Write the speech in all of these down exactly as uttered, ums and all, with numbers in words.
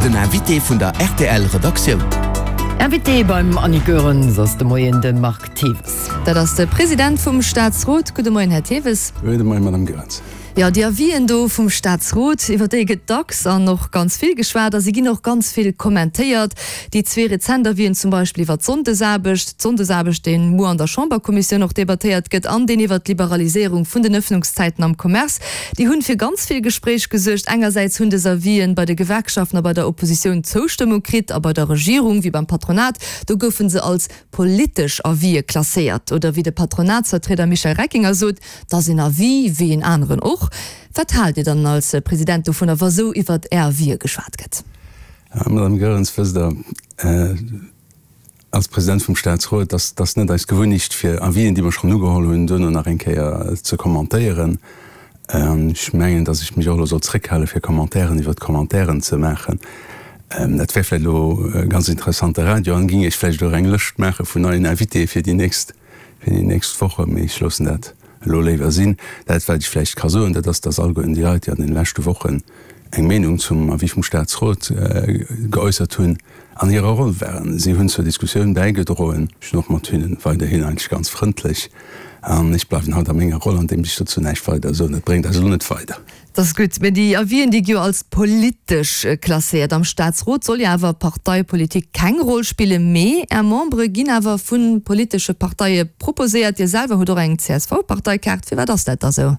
Den Invité vun der R T L Redaktioun. Invité beim Annie Goerens ass de Moien de Marc Thewes. Dat ass de President vum Staatsrot. Gudde Moien, Här Thewes. Gudde Moien, Madame Goerens. Jo, déi Avisen do vum Staatsrot, iwwer déi gëtt dacks an och ganz vill geschwat a si ginn och ganz vill kommentéiert. Déi zwee rezent Avisen zum Beispill iwwer d'Sonndesaarbecht, d'Sonndesaarbecht, dee muer an der Chamberkommissioun och debattéiert gëtt, an deen iwwer d'Liberaliséierung vun den Ëffnungszäiten am Commerce, déi hunn fir ganz vill Gespréich gesuergt. Engersäits hunn dës Avisen bei de Gewerkschaften a bei der Oppositioun Zoustëmmung kritt a bei der Regierung wéi beim Patronat, do goufe se als politesch Avise klasséiert. Oder wéi de Patronatsvertrieder Michel Reckinger sot, 't ass een Avis wéi een aneren och. Wat haalt Dir dann als President dovunner, wa sou iwwer Är Avise geschwat gëtt? Madame Goerens, wësst Der, als President vum Staatsrot, dass dass net eis Gewunnecht, fir Avisen, déi mer schonn ugeholl hunn, duerno nach eng Kéier ze kommentéieren. Ech mengen, dass ech mech och elo soll zréckhale fir Commentairen iwwer d'Commentairen ze maachen. Dat wär vläicht elo e ganz interessante Radio an ging ech vläicht och eng Lëscht maache vun neien Invitéë fir déi nächst fir déi nächst Woche, mee ech loossen dat elo léiwer sinn. Dat wat ech vläicht ka soen, dat ass, dass alleguerten déi Leit, déi an deene leschte Wochen eng Meenung zum Avis vum Staatsrot geäussert hunn, an hirer Roll waren. Si hunn zur Diskussioun bäigedroen. Ech sinn och mat hinnen weiderhin eigentlech ganz frëndlech an ech bleiwen haut a menger Roll, andeem ech dozou näischt weider soen. Dat bréngt eis elo net weider. Dat ass gutt. Mä déi Avisen, déi gi jo als politesch klasséiert. Am Staatsrot soll jo awer Parteipolitik keng Roll spillen. Mee Är Membere ginn awer vu politesche Parteie proposéiert. Dir selwer hutt och eng C S V-Parteikaart. Firwat ass dat da sou?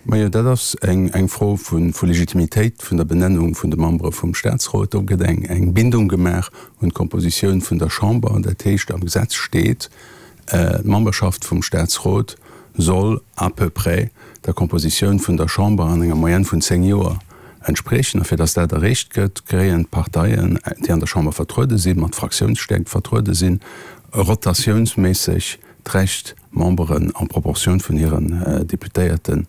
Majo, dat ass eng Fro vu Legitimitéit vun der Benennung vun de Membere vum Staatsrot. Do gëtt eng Bindung gemaach un d'Kompositioun vun der Chamber. Dat heescht, am Gesetz steet, d'Memberschaft vum Staatsrot soll à peu près der Kompositioun vun der Chamber an enger Moyenne vun zéng Joer entspriechen. A fir datt dat erreecht gëtt, kréien d'Parteien, déi an der Chamber vertruede sinn, mat Fraktiounsstäerkt vertruede sinn, rotatiounsméisseg d'Recht, Memberen en Proportioun vun hiren Deputéierten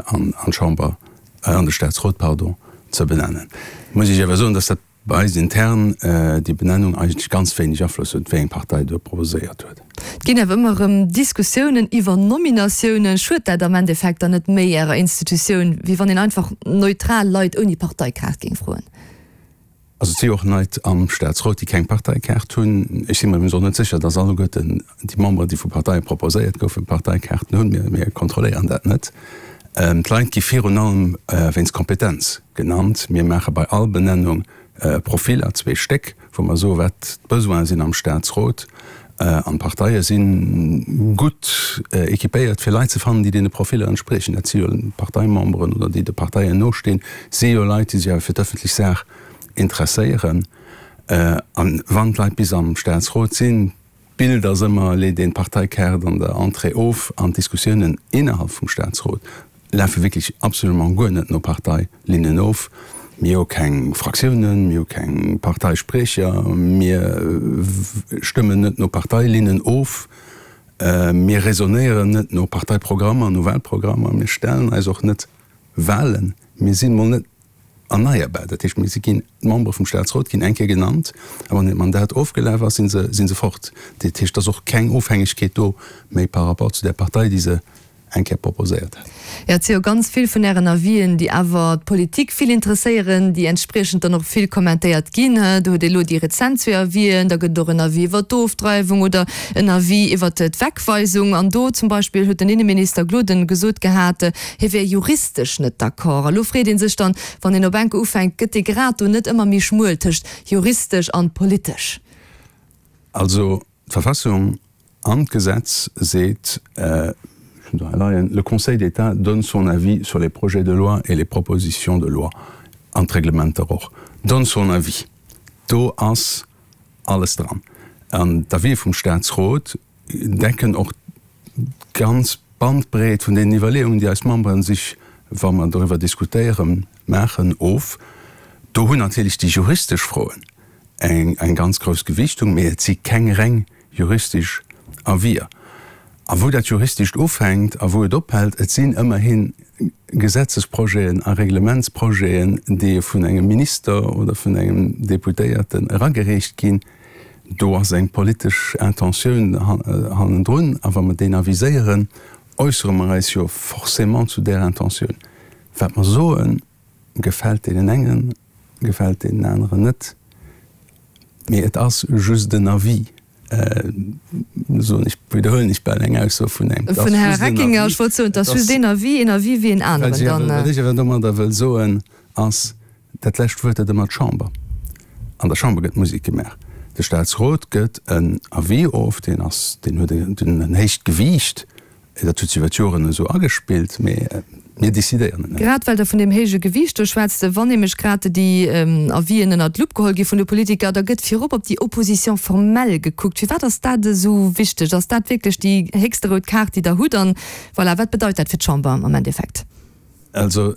an d'Chamber, an de Staatsrot, pardon, ze benennen. Muss ech awer soen, dass dat bei eis intern déi Benennung eigentlech ganz wéineg Afloss huet, wéi eng Partei do proposéiert huet. Et ginn awer ëmmer erëm Diskussiounen iwwer Nominatiounen. Schued dat am Endeffekt dann net méi Ärer Institutioun, wéi wann een einfach neutral Leit ouni Parteikaart géing froen? Also et si jo och Leit am Staatsrot, déi keng Parteikaart hunn. Ech si mer iwwregens och net sécher, dass alleguerten déi Memberen, déi vu Parteie proposéiert goufen, Parteikaarten hunn. Mir kontrolléieren dat net. D'Leit gi virun allem wéinst Kompetenz genannt. Mir maache bei all Benennung Profiller, zwee Stéck, wou mer soen, wat d'Besoine sinn am Staatsrot. An d'Parteie si gutt équipéiert, fir Leit ze fannen, déi deene Profiller entspriechen. Dat si jo Parteimemberen oder déi de Parteien nostinn, si jo Leit, déi sech awer fir d'ëffentlech Saach interesséieren. A wann d'Leit bis am Staatsrot sinn, d'Bild ass ëmmer, leet een d'Parteikaart an der Entrée of an d'Diskussiounen innerhalb vum Staatsrot lafe wierklech absolument guer net no Parteilinnen of. Mir hu keng Fraktiounen, mir hu keng Parteispriecher, mir stëmmen net no Parteilinnen of, mir raisonnéieren net no Parteiprogrammer, no Wahlprogrammer, mir stellen eis och net Wahlen, mir sinn mol net erneierbar. Dat heescht, mir si ginn, d'Membere vum Staatsrot ginn eng Kéier genannt a wann hiert Mandat ofgelaf ass, si se, si se fort. Dat heescht, et ass och keng Ofhängegkeet do méi par rapport zu där Partei, déi se eng Kéier proposéiert hat. Jo, et si jo ganz vill vun Ären Avisen, déi awer d'Politik vill interesséieren, déi entspriechend dann och vill kommentéiert ginn. Do hutt Dir elo déi rezent zwee Avisen, da gëtt et och en Avis iwwer d'Ofdreiwung oder en Avis iwwer d'Wegweisung. An do zum Beispill huet den Inneminister Gloden gesot gehat, hie wär juristesch net d'accord. A lo freet ee sech dann, wann een op enke ufänkt, gëtt dee Grad do net ëmmer méi schmuel tëscht juristesch an politesch? Also d'Verfassung an d'Gesetz seet, ech hunn se hei leien, Le Conseil d'État donne son avis sur les projets de loi et les propositions de loi, an d'Reglementer och, donne son avis. Do ass alles dran. An d'Avisë vum Statsrot decken och d'ganz Bandbreet vun deenen Iwwerleeungen, déi eis Membere sech, wa mer doriwwer diskutéieren, maachen, of. Do hunn natierlech déi juristesch Froen eng ganz grouss Gewichtung, mee et si keng reng juristesch Avier. A wou dat Juristescht ufänkt a wou et ophält, et sinn ëmmerhi Gesetzesprojeten a Reglementsprojeten, déi vun engem Minister oder vun engem Deputéierten eragereecht ginn, do ass eng politesch Intentioun hannendrun. A wa mer deen aviséieren, äussere mer eis jo forcément zu där Intentioun. Wat mer soen, gefält deenen engen gefält deenen aneren net. Mee et ass just en Avis. Soen ech, widderhuelen ech bal eng Ausso vun engem. Vun Här Reckinger, ech wollt soen, et ass just een Avis, een Avis wéi een aneren dann. Wat ech awer domadder wëll soen, ass, dat lescht Wuert huet ëmmer d'Chamber. An der Chamber gëtt Musek gemaach. De Staatsrot gëtt en Avis of, deen ass, deen huet en héicht Gewiicht. Dat huet sech iwwer d'Joren esou agespillt, mee mir decidéieren et net. Grad well Der vun deem héije Gewiicht do schwätzt, wann nämlech grad déi Avisen ënnert d'Lupp geholl gi vun de Politiker, da gëtt virop op déi Opposition formelle gekuckt. Firwat ass dat esou wichteg? Ass dat wierklech déi héchste rout Kaart, déi Der hutt? An voilà, wat bedeit dat fir d'Chamber am Endeffekt? Also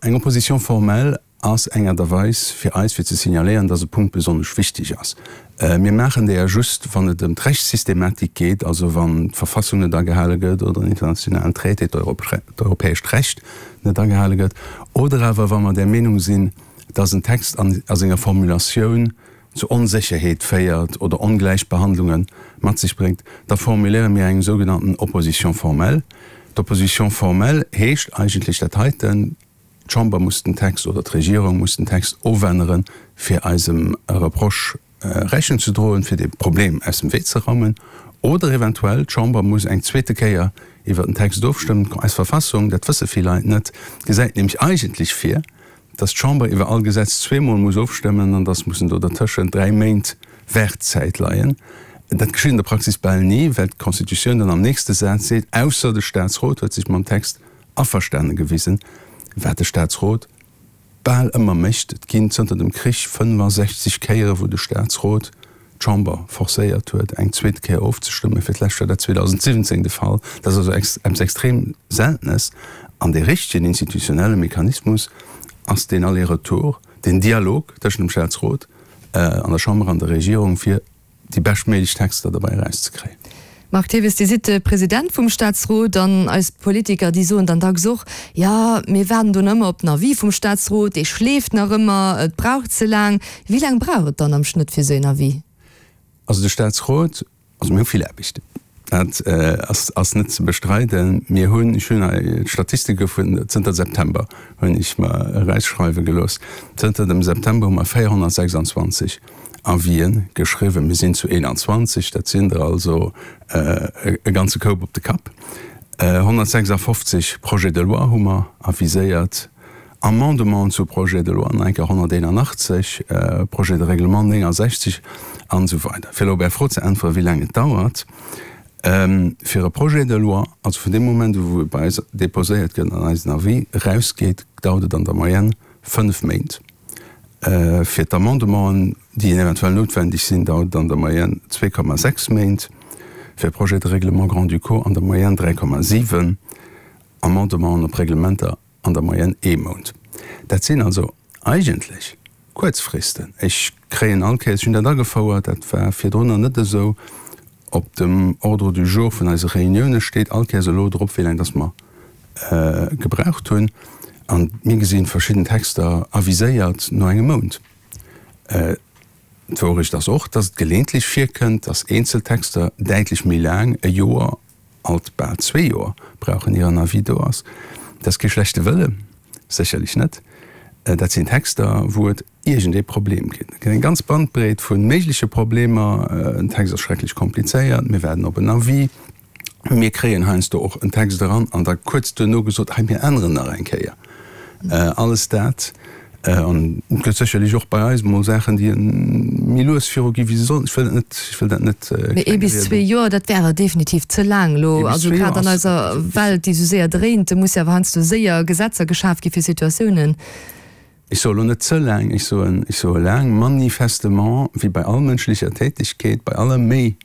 eng Opposition formelle ass eng Aart a Weis fir eis, fir ze signaléieren, dass e Punkt besonnesch wichteg ass. Mir maachen déi just, wann et ëm d'Rechtssystematik geet, also wann d'Verfassung net agehale gëtt oder en internationalen Traité, d'europäescht Recht net agehale gëtt, oder awer wa mer der Meenung sinn, dass en Text a senger Formulatioun zu Onsécherheet féiert oder Ongläichbehandlunge mat sech bréngt, da formuléiere mir eng sougenannten Opposition formelle. D'Opposition formelle heescht eigentlech dat heiten, D'Chamber muss den Text oder d'Regierung muss den Text ofänneren, fir eisem Reproche Rechnung ze droen, fir dee Problem aus dem Wee ze raumen. Oder eventuell d'Chamber muss eng zweete Kéier iwwert den Text ofstëmmen. Eis Verfassung, dat wësse vill Leit net, gesäit nämlech eigentlech vir, dass d'Chamber iwwer all Gesetz zweemol muss ofstëmmen an dass mussen do dertëschent dräi Méint Waardzäit leien. Dat geschitt an der Praxis bal ni, well d'Constitutioun dann am nächste Saz seet, ausser de Statsrot huet sech mam Text averstane gewisen, wat de Statsrot bal ëmmer mécht. Et ginn zënter dem Krich fënnefasechzeg Kéiere wou de Statsrot d'Chamber forcéiert huet, eng zweet Kéier ofzestëmmen. Fir d'lescht war dat zweedausendsiwwenzéng de Fall. Dat ass also eppes extrem Seltenes. An dee richtegen institutionelle Mechanismus ass deen Aller-retour, deen Dialog tëschent dem Statsrot an der Chamber an der Regierung, fir déi beschtméiglech Texter derbäi erauszekréien. Marc Thewes, Dir sidd de President vum Staatsrot an eis Politiker, déi soen dann dacks och, jo, mir waarden do nach ëmmer op den Avis vum Staatsrot, dee schleeft nach ëmmer, et brauch ze laang. Wéi laang brauch et dann am Schnëtt fir esou een Avis? Also de Staatsrot, also mir hu vill Aarbecht, dat ass net ze bestreiden. Mir hunn, ech hunn hei d'Statistike vun zënter September hunn ech mer erausschreiwe gelooss, zënter dem September hu mer véierhonnertsechsandzwanzeg Avisen geschriwwen. Mir sinn zu eenanzwanzeg, dat sinn der also e ganze Koup op de Kapp. honnertsechsafofzeg Projets de loi hu mer aviséiert, Amendementen zu Projets de loi nach eng Kéier honnerteenanachtzeg, Projets de règlement néngasechzeg an esou weider. Fir elo op Är Fro ze äntweren, wéi laang et dauert fir e Projet de loi, also vun deem Moment u wou e bei eis déposéiert gëtt an eisen Avis erausgeet, dauert et an der Moyenne fënnef Méint. Fir d'Amendementen, déi eventuell noutwendeg sinn, dauert et an der Moyenne zwee Komma sechs Méint, fir Projets de règlement grand-ducaux an der Moyenne dräi Komma siwen, Amendementen op Reglementer an der Moyenne ee Mount. Dat sinn also eigentlech kuerz Fristen. Ech kréien all Kéiers, ech hunn dat agefouert, dat war virdrunner net esou, op dem Ordre du jour vun eise Reunioune steet all Kéiers elo drop, wéi laang dass mer gebraucht hunn. An mir gesinn verschidden Texter aviséiert no engem Mount. D'Wourecht ass och, dass et geleeëntlech virkënnt, dass eenzel Texter däitlech méi laang, e Joer, alt bal zwee Joer brauchen, ier en Avis do ass. Dat ass kee schlechte Wëlle, sécherlech net. Dat sinn Texter, wou et iergendee Problem ginn. Et gëtt eng ganz Bandbreet vu méigleche Problemer. En Text ass schrecklech komplizéiert, mir waarden op en Avis. Mir kréien heiansdo och en Text eran an da kuerz duerno gesot, hei mir änneren nach eng Kéier alles dat. An et gëtt sécherlech och bei eis emol Saachen, déi méi lues viru gi wéi se sollten. Ech wëll dat net, ech wëll dat net Mee ee bis klengrieden. zwee Joer, dat wär awer definitiv ze laang elo. Ee bis Also zwee Joer grad an ass eiser Welt, déi esou séier dréint, muss jo awer heiansdo séier Gesetzer geschaf gi fir Situatiounen. Ech soe lo net ze laang, ech soen, ech soe laang. Manifestement, wéi bei all mënschlecher Tätigkeet, bei aller Méi,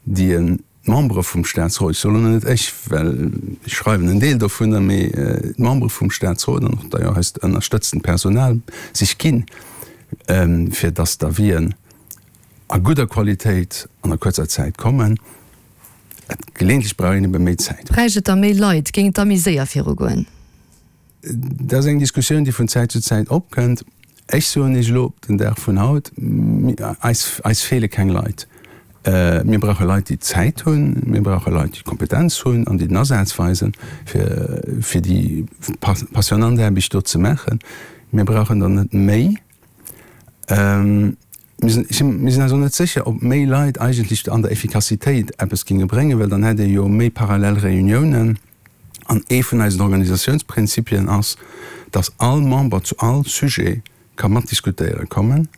déi en D'Membere vum Statsrot, ech soen elo net ech, well ech schreiwen en Deel dovunner, mee d'Membere vum Statsrot an och d'ailleurs eist ënnerstëtzend Personal sech ginn, fir dass d'Avisen a gudder Qualitéit an a kuerzer Zäit kommen. Et geleeëntlech brauch een ebe méi Zäit. Bräicht et da méi Leit? Géing et da méi séier virugoen? Dat ass eng Diskussioun, déi vun Zäit zu Zäit opkënnt. Ech soen Iech elo op den Dag vun haut, eis, eis feele keng Leit. Mir brauche Leit, déi Zäit hunn. Mir brauche Leit, déi Kompetenz hunn an déi den Asaz weisen, fir, fir déi passionnant Aarbecht do ze maachen. Mir brauchen der net méi. Mir sinn, mir sinn eis och net sécher, ob méi Leit eigentlech an der Effikassitéit eppes géinge bréngen, well dann hätt ee jo méi parallel Reuniounen. An ee vun eisen Organisatiounsprinzipien ass, dass all Member zu all Sujet ka matdiskutéiere kommen.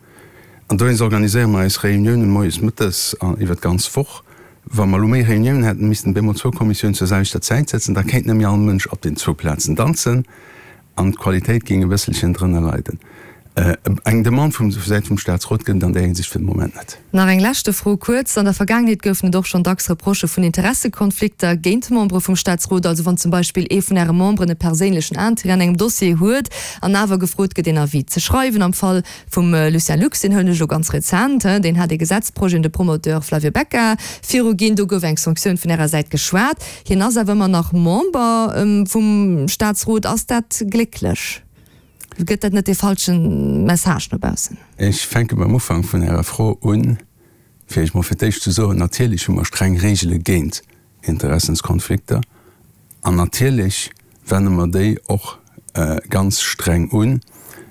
An dowéinst organiséiere mer eis Reuniounen moies, mëttes an iwwer d'ganz Woch. Wa mer elo méi Reuniounen hätten, missten bemol zwou Kommissiounen zur selwechter Zäit sëtzen, da kéint net méi all Mënsch op den zwou Plazen danzen an d'Qualitéit géing e bësselchen drënner leiden. Eng Demande vu Säit vum Staatsrot gëtt et an där Hinsicht fir de Moment net. Nach eng leschte Fro kuerz, An der Vergaangenheet goufen et och schonn dacks Reprochë vun Interessekonflikter géint Membere vum Staatsrot, also wann zum Beispill ee vun Äre Memberen e perséinlechen Interêt an engem Dossier huet an awer gefrot gëtt een Avis ze schreiwen. Am Fall vum Lucien Lux, deen huelen ech elo ganz rezent, deen hat ee Gesetzprojet un de Promoteur Flavio Becca viruginn, do gouf eng Sanktioun vun Ärer Säit geschwat. Hien ass awer ëmmer nach Member vum Staatsrot. Ass dat glécklech? Gëtt dat net dee falsche Message no baussen? Ech fänke beim Ufank vun Ärer Fro un, fir Iech mol fir d'éischt ze soen, Natierlech hu mer streng Regele géint Interessenskonflikter an natierlech wenne mer déi och ganz streng un.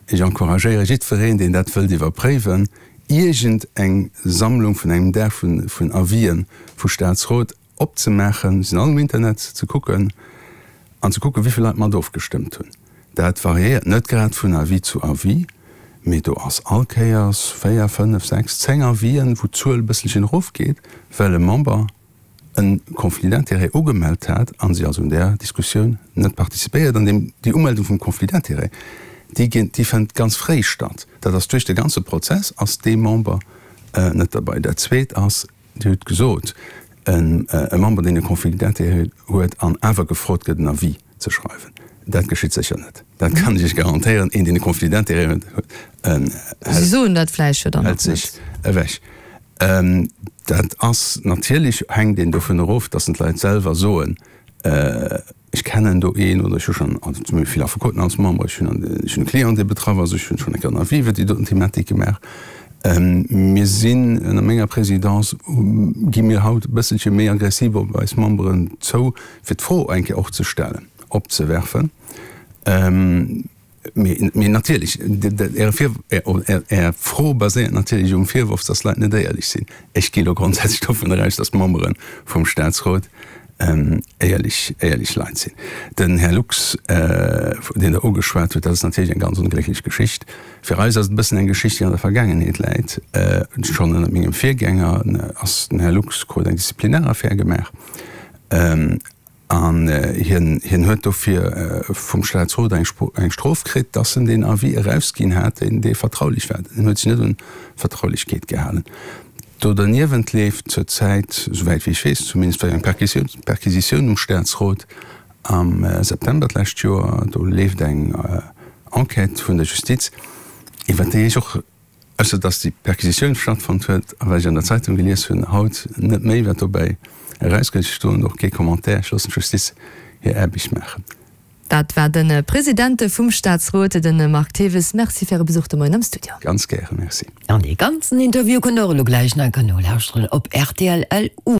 Ech encouragéiere jiddwereen, deen dat wëllt iwwerpréiwen, iergend eng Sammlung vun engem Dag vun Avisen vu Staatsrot opzemaachen, se sinn all um Internet ze kucken, an ze kucken, wéi vill Leit mat ofgestëmmt hunn. Dat variéiert net grad vun Avis zu Avis, mee do ass all Kéiers véier, fënnef, sechs, zéng Avisen, wou d'Zuel e bësselchen erofgeet, well e Member e Conflit d'intérêts ugemellt hat a si also un där Diskussioun net participéiert. An deem, déi Umeldung vum Conflit d'intérêts, déi ginn, déi fënnt ganz fréi statt. Dat ass duerch de ganze Prozess ass dee Member net derbei. Dat Zweet ass, Dir hutt gesot, e Member, deen e Conflit d'intérêts huet an awer gefrot gëtt, en Avis ze schreiwen. Dat geschitt sécher net. Dat kann ech Iech garantéieren. Een, deen e Conflit d'intérêts huet, Si soen dat vläicht jo dann hält och net. sech ewech. Dat ass natierlech, hänkt een dovun erof, datt en d'Leit selwer soen, ech kennen do een oder ech hu schonn, also zum Beispill vill Affekoten als Member, ech hunn ech hunn e Client, dee betraff ass, ech hunn schonn eng Kéier en Avis iwwer déi doten Thematik gemaach. Mir sinn ënner menger Présidence, gi mir haut e bësselche méi aggressiv op eis Memberen zou, fir d'Fro eng Kéier och ze stellen, opzewerfen. Mee, mee natierlech, Är, Är Fro baséiert natierlech um Virworf, dass d'Leit net éierlech sinn. Ech gi lo grondsätzlech dovunner aus, dass d'Membere vum Staatsrot éierlech, éierlech Leit sinn. Den Här Lux, deen Der ugeschwat hutt, dat ass natierlech eng ganz onglécklech Geschicht. Fir eis ass et e bëssen eng Geschicht, déi an der Vergaangenheet läit. Schonn ënnert mengem Virgänger ass den Här Lux krut eng Disziplinaraffär gemaach. An hien, hien huet dofir vum Staatsrot eng, eng Strof kritt, dass en deen Avis erausginn hat, deen, dee vertraulich war. En huet sech net un d'Vertraulechkeet gehalen. Do derniewent leeft zur Zäit, souwäit wéi ech weess zumindest, war jo eng Perquisitioun, Perquisitioun um Staatsrot am September d'lescht Joer, do leeft eng Enquête vun der Justiz, iwwert déi ech och, ausser dass déi Perquisitioun stattfonnt huet a wat ech an der Zeitung gelies hunn, haut net méi wat dobäi erauskënnt. Ech doen och kee Commentaire, ech loossen d'Justiz hir Aarbecht maachen. Dat war de President vum Staatsrot, de Marc Thewes. Merci fir Äre Besuch de Moien am Studio. Ganz gären, Merci. An dee ganzen Interview kënnt der och elo gläich nach nolauschteren op rtl. LU.